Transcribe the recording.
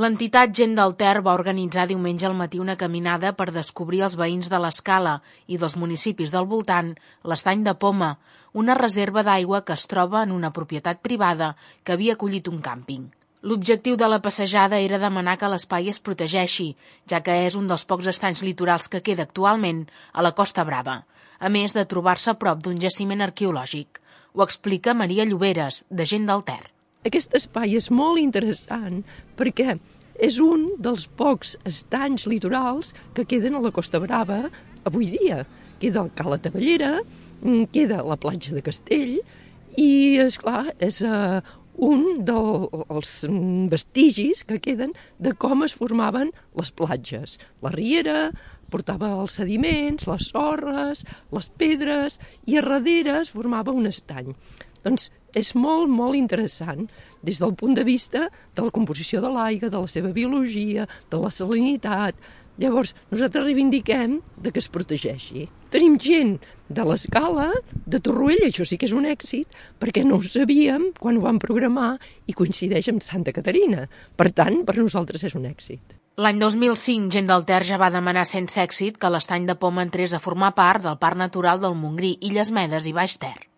L'entitat Gent del Ter va organitzar diumenge al matí una caminada per descobrir els veïns de l'Escala i dels municipis del voltant l'Estany de Poma, una reserva d'aigua que es troba en una propietat privada que havia acollit un càmping. L'objectiu de la passejada era demanar que l'espai es protegeixi, ja que és un dels pocs estanys litorals que queda actualment a la Costa Brava, a més de trobar-se a prop d'un jaciment arqueològic. Ho explica Maria Lloberes, de Gent del Ter. Aquest espai és molt interessant perquè és un dels pocs estanys litorals que queden a la Costa Brava avui dia. Queda el Cala Tavellera, queda la platja de Castell i, esclar, és un dels vestigis que queden de com es formaven les platges. La riera portava els sediments, les sorres, les pedres i a darrere es formava un estany. Doncs és molt, molt interessant des del punt de vista de la composició de l'aigua, de la seva biologia, de la salinitat. Llavors, nosaltres reivindiquem que es protegeixi. Tenim gent de l'Escala, de Torroella, això sí que és un èxit, perquè no ho sabíem quan ho vam programar i coincideix amb Santa Caterina. Per tant, per nosaltres és un èxit. L'any 2005, Gent del Ter ja va demanar sense èxit que l'Estany de Poma entrés a formar part del Parc Natural del Montgrí, Illes Medes i Baix Ter.